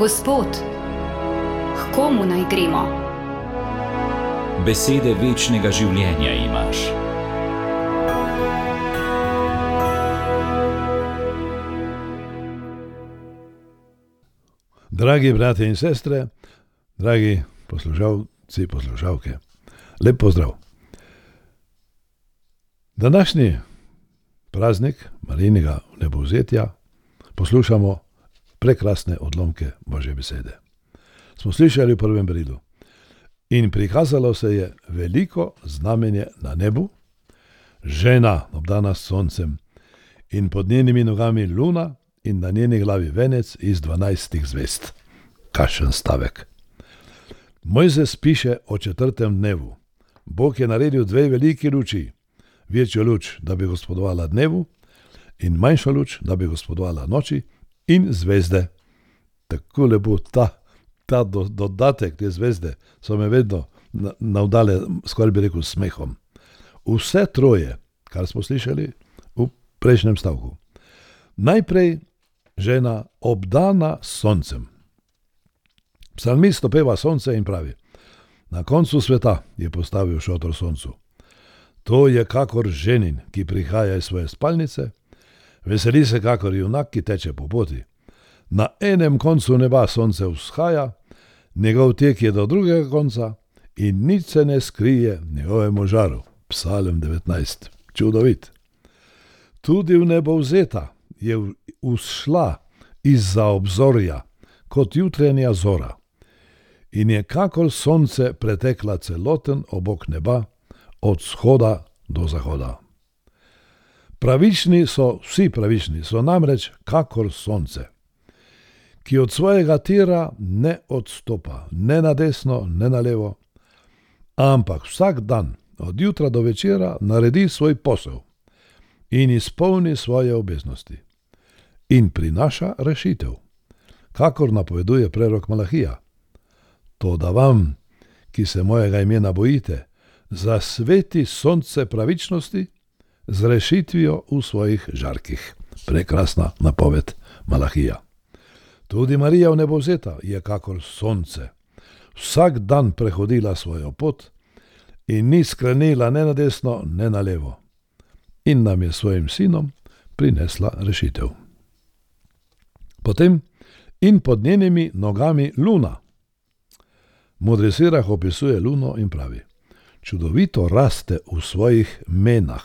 Gospod, k komu naj gremo? Besede večnega življenja imaš. Dragi bratje in sestre, dragi poslušalci, poslušalke, lep pozdrav. Današnji praznik Marijinega vnebovzetja poslušamo prekrasne odlomke Božje besede. Smo slišali v prvem berilu. In prikazalo se je veliko znamenje na nebu, žena obdana s soncem in pod njenimi nogami luna in na njeni glavi venec iz 12 zvezd. Kakšen stavek. Mojzes piše o 4. dnevu. Bog je naredil 2 veliki luči. Večjo luč, da bi gospodovala dnevu, in manjšo luč, da bi gospodovala noči, in zvezde. Tako lepo ta dodatek, te zvezde, so me vedno navdale, skoraj bi rekel, smehom. Vse troje, kar smo slišali v prejšnjem stavku. Najprej žena obdana s soncem. Psalmist opeva sonce in pravi: na koncu sveta je postavil šotor soncu. To je kakor ženin, ki prihaja iz svoje spalnice, veseli se kakor junak, ki teče po poti. Na enem koncu neba sonce vzhaja, njegov tek je do drugega konca in nič se ne skrije njegovemu žaru. Psalm 19. Čudovit. Tudi vnebovzeta je vzšla izza obzorja kot jutrenja zora in je kakor sonce pretekla celoten obok neba od vzhoda do zahoda. Vsi pravični so namreč kakor sonce, ki od svojega tira ne odstopa, ne na desno, ne na levo, ampak vsak dan, od jutra do večera, naredi svoj posel in izpolni svoje obveznosti in prinaša rešitev, kakor napoveduje prerok Malahija. Toda vam, ki se mojega imena bojite, zasveti sonce pravičnosti z rešitvijo v svojih žarkih. Prekrasna napoved Malahija. Tudi Marija vnebovzeta je kakor sonce. Vsak dan prehodila svojo pot in ni skrenila ne na desno, ne na levo. In nam je svojim sinom prinesla rešitev. Potem in pod njenimi nogami luna. Modri Sirah opisuje luno in pravi: čudovito raste v svojih menah.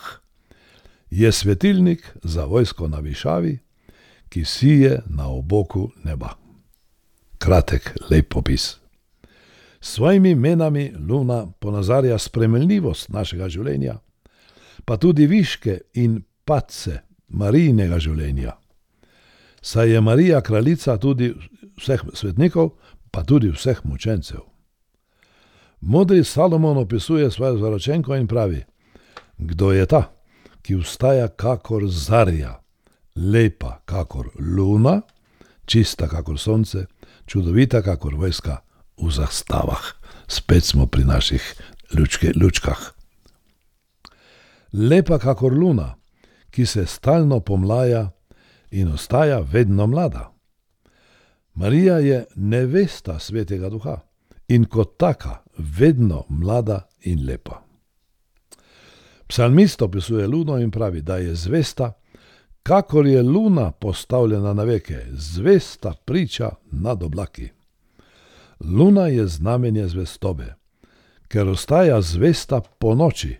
Je svetilnik za vojsko na višavi, ki sije na oboku neba. Kratek, lep opis. S svojimi menami luna ponazarja spremljivost našega življenja, pa tudi viške in padce Marijinega življenja. Saj je Marija kraljica tudi vseh svetnikov, pa tudi vseh mučencev. Modri Salomon opisuje svojo zaročenko in pravi: kdo je ta, ki vstaja kakor zarja, lepa kakor luna, čista kakor sonce, čudovita kakor vojska v zastavah. Spet smo pri naših lučkah. Lepa kakor luna, ki se stalno pomlaja in ostaja vedno mlada. Marija je nevesta Svetega Duha in kot taka vedno mlada in lepa. Psalmist opisuje luno in pravi, da je zvesta, kakor je luna postavljena na veke, zvesta priča nad oblaki. Luna je znamenje zvestobe, ker ostaja zvesta po noči.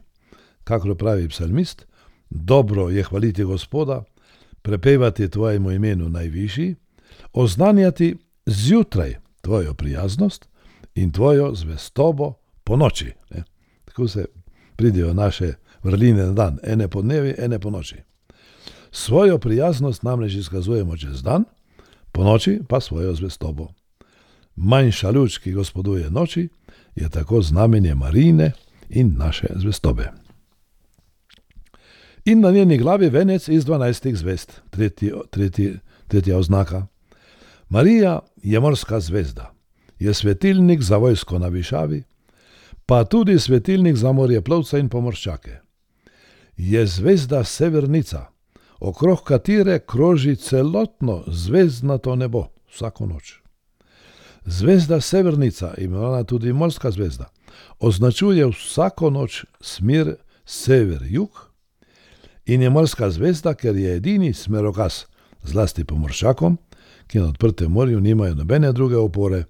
Kakor pravi psalmist, dobro je hvaliti Gospoda, prepevati tvojemu imenu najvišji, oznanjati zjutraj tvojo prijaznost in tvojo zvestobo po noči. Tako se pridejo naše vrline na dan, ene po dnevi, ene po noči. Svojo prijaznost namreč izkazujemo čez dan, po noči pa svojo zvestobo. Manjša luč, ki gospoduje noči, je tako znamenje Marijine in naše zvestobe. In na njeni glavi venec iz 12 zvezd, tretja oznaka. Marija je morska zvezda, je svetilnik za vojsko na višavi, pa tudi svetilnik za morjeplovca in pomorščake. Je zvezda severnica, okrog katere kroži celotno zvezdnato nebo vsako noč. Zvezda Severnica, imenovana tudi morska zvezda, označuje vsako noč smer sever-jug in je morska zvezda, ker je edini smerokaz, zlasti pomorščakom, ki na odprtem morju nimajo nobene druge opore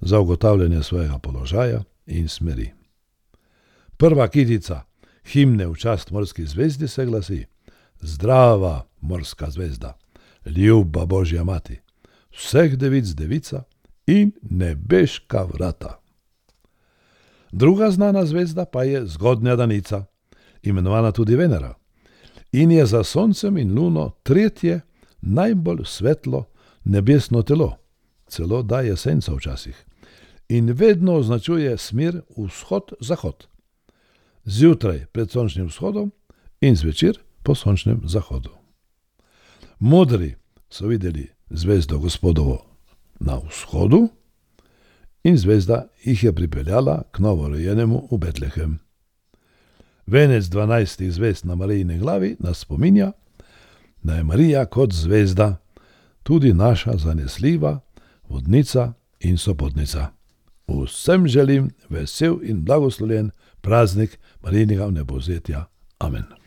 za ugotavljanje svojega položaja in smeri. Prva kitica himne v čast morski zvezdi se glasi: Zdrava morska zvezda, ljuba Božja mati, vseh devic devica in nebeška vrata. Druga znana zvezda pa je zgodnja danica, imenovana tudi Venera, in je za Soncem in Luno tretje najbolj svetlo nebesno telo, celo daje senco včasih, in vedno označuje smer vzhod-zahod. Zjutraj pred sončnim vzhodom in zvečer po sončnem zahodu. Modri so videli zvezdo Gospodovo na vzhodu in zvezda jih je pripeljala k novorojenemu v Betlehem. Venec 12 zvezd na Marijini glavi nas spominja, da je Marija kot zvezda tudi naša zanesljiva vodnica in sopotnica. Vsem želim vesel in blagoslovljen praznik Marijinega vnebovzetja. Amen.